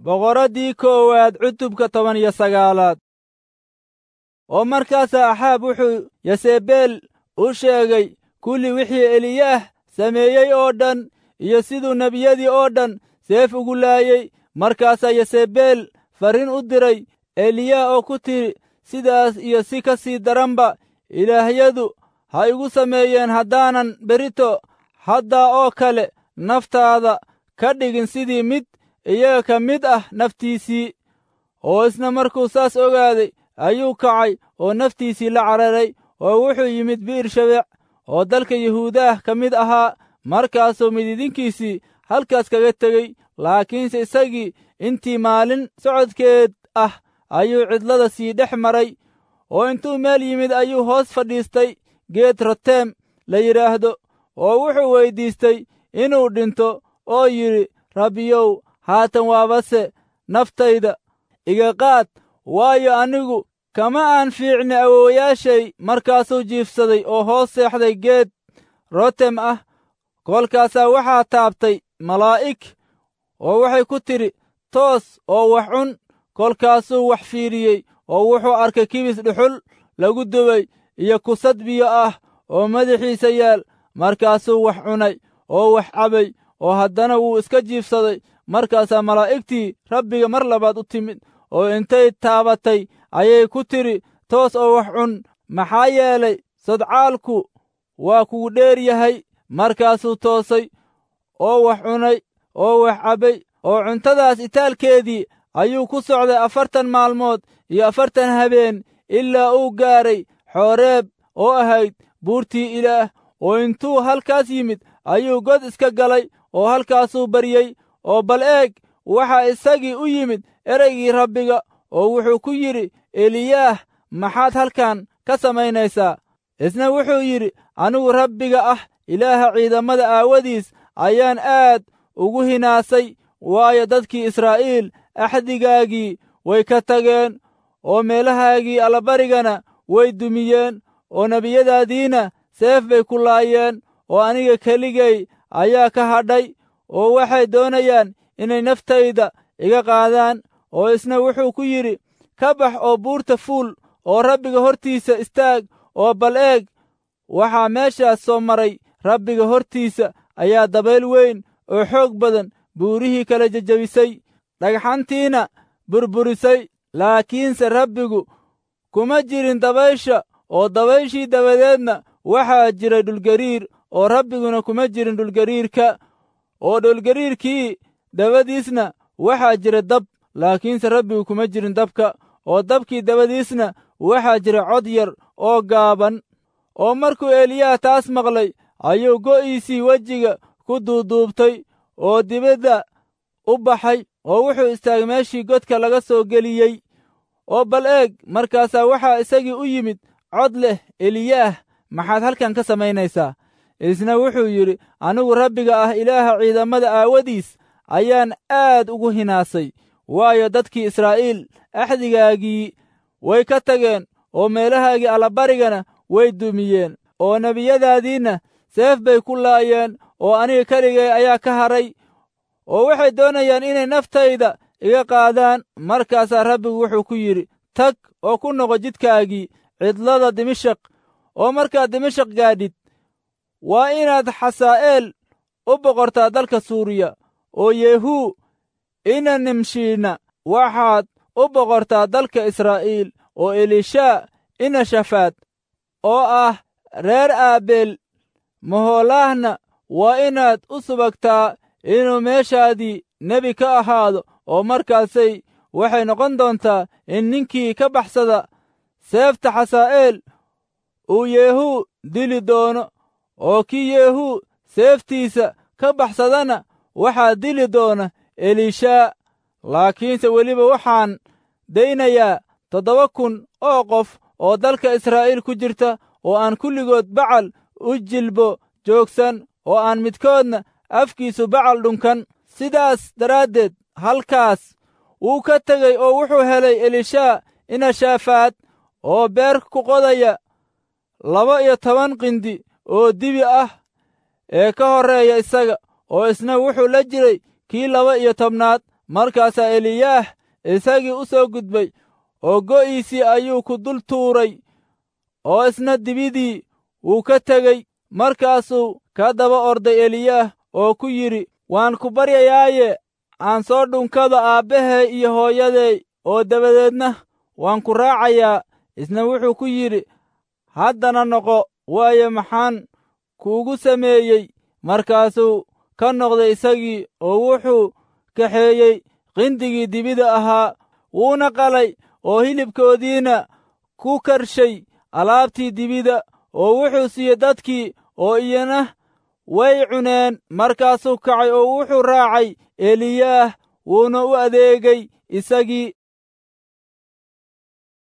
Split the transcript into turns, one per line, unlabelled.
Boqoraddii koowaad cutubka 19aad. Oo markaasaa Axaab wuxuu Yasebeel u sheegay kulli wixii Eliyaah sameeyey oo dhan iyo siduu nebiyadii oo dhan seef ugu laayey. Markaasaa Yasebeel farriin u diray Eliyaah oo ku tidhi, sidaas iyo si ka sii daranba ilaahyadu ha igu sameeyeen haddaanan berrito haddaa oo kale naftaada ka dhigin sidii mid iyaga ka mid ah naftiisii. Oo isna markuu saas ogaaday ayuu kacay oo naftiisii la cararay, oo wuxuu yimid Bi'ir Shabeec oo dalka Yahuudaah ka mid ahaa. Markaasuu mididinkiisii halkaas kaga tegey, laakiinse isagii intii maalin socodkeed ah ayuu cidlada sii dhex maray, oo intuu meel yimid ayuu hoos fadhiistay geed roteem la yidhaahdo, oo wuxuu weyddiistay inuu dhinto oo yidhi, Rabbiyow, haatan waabase naftayda iga qaad, waayo anigu kama aan fiicni awoowayaashay. Markaasuu jiifsaday oo hoos seexday geed rotem ah. Kolkaasaa waxaa taabtay malaa'ig oo waxay ku tidhi, toos oo wax cun. Kolkaasuu wax fiiriyey oo wuxuu arkay kibis dhuxul lagu dubay iyo kusad biyo ah oo madaxiisa yaal. Markaasuu wax cunay oo wax cabay, oo haddana wuu iska jiifsaday. Markaasaa malaa'igtii Rabbiga mar labaad u timid, oo intay taabatay ayay ku tidhi, toos oo wax cun, maxaa yeelay sodcaalku waa kugu dheer yahay. Markaasuu toosay oo wax cunay oo wax cabbay, oo cuntadaas itaalkeedii ayuu ku socday 40 maalmood iyo 40 habeen ilaa uu gaaray Xooreeb oo ahayd buurtii Ilaah. Oo intuu halkaas yimid ayuu god iska galay oo halkaasuu baryey. Oo bal eeg, waxaa isagii u yimid ereygii Rabbiga, oo wuxuu ku yidhi, Eliyaah, maxaad halkan ka samaynaysaa? Isna wuxuu yidhi, anigu Rabbiga ah Ilaaha ciidamada aawadiis ayaan aad ugu hinaasay, waayo dadkii Israa'iil axdigaagii way ka tageen, oo meelahaagii allabarigana way dumiyeen, oo nebiyadaadiina seef bay ku laayeen, oo aniga keligay ayaa ka hadhay, oo waxay doonayaan inay naftayda iga qaadaan. Oo isna wuxuu ku yidhi, ka bax oo buurta fuul oo Rabbiga hortiisa istaag, oo bal eeg, waxaa meeshaas soo maray Rabbiga hortiisa ayaa dabayl weyn oo xoog badan buurihii kala jejebisay, dhagxantiina burburisay. Laakiinse Rabbigu kuma jirin dabaysha, oo dabayshii dabadeedna waxaa jiray dhulgariir, oo Rabbiguna kuma jirin dhulgariirka. Oo dhulgariirkii dabadiisna waxaa jira dab, laakiinse Rabbigu kuma jirin dabka. Oo dabkii dabadiisna waxaa jira cod yar oo gaaban. Oo markuu Eliyaah taas maqlay ayuu go'iisii wejiga ku duuduubtay oo dibadda u baxay, oo wuxuu istaagay meeshii godka laga soo geliyey. Oo bal eeg, markaasaa waxaa isagii u yimid cod leh, Eliyaah, maxaad halkan ka samaynaysaa? Isna wuxuu yidhi, anigu Rabbiga ah Ilaaha ciidamada aawadiis ayaan aad ugu hinaasay, waayo dadkii Israa'iil axdigaagii way ka tageen, oo meelahaagii allabarigana way dumiyeen, oo nebiyadaadiinna seef bay ku laayeen, oo aniga keligay ayaa ka hadhay, oo waxay doonayaan inay naftayda iga qaadaan. Markaasaa Rabbigu wuxuu ku yidhi, tag oo ku noqo jidkaagii cidlada Dimashaq, oo markaad Dimashaq gaadhid waa inaad Xasaa'eel u boqortaa dalka Suuriya, oo Yehuu ina Nimshiina waxaad u boqortaa dalka Israa'iil, oo Elishaa ina Shafaad oo ah reer Aabeel Maholaahna waa inaad u subagtaa inuu meeshaadii nebi ka ahaado. Oo markaasay waxay noqon doontaa in ninkii ka baxsada seefta Xasaa'eel uu Yehuu dili doono, oo kii Yehuu seeftiisa ka baxsadana waxaa dili doona Elishaa. Laakiinse weliba waxaan daynayaa 7000 oo qof oo dalka Israa'iil ku jirta, oo aan kulligood Bacal u jilbo joogsan, oo aan midkoodna afkiisu Bacal dhunkan. Sidaas daraaddeed halkaas wuu ka tegey oo wuxuu helay Elishaa ina Shaafaad oo beer ku qodaya 12 qindi oo dibi ah ee ka horreeya isaga, oo isna wuxuu la jiray kii 12aad. Markaasaa Eliyaah isagii u soo gudbay oo go'iisii ayuu ku dul tuuray, oo isna dibidii wuu ka tegey. Markaasuu ka daba orday Eliyaah oo ku yidhi, Waan ku baryayaaye, aan soo dhunkado aabbahay iyo hooyaday, oo dabadeedna waan ku raacayaa. Isna wuxuu ku yidhi, Haddana noqo, waayo maxaan kuugu sameeyey? Markaasuu ka noqday isagii, oo wuxuu kaxeeyey qindigii dibida ahaa, wuuna qalay, oo hilibkoodiina ku karshay alaabtii dibida, oo wuxuu siiyey dadkii, oo iyana way cuneen. Markaasuu kacay oo wuxuu raacay Eliyaah, wuuna u adeegay isagii.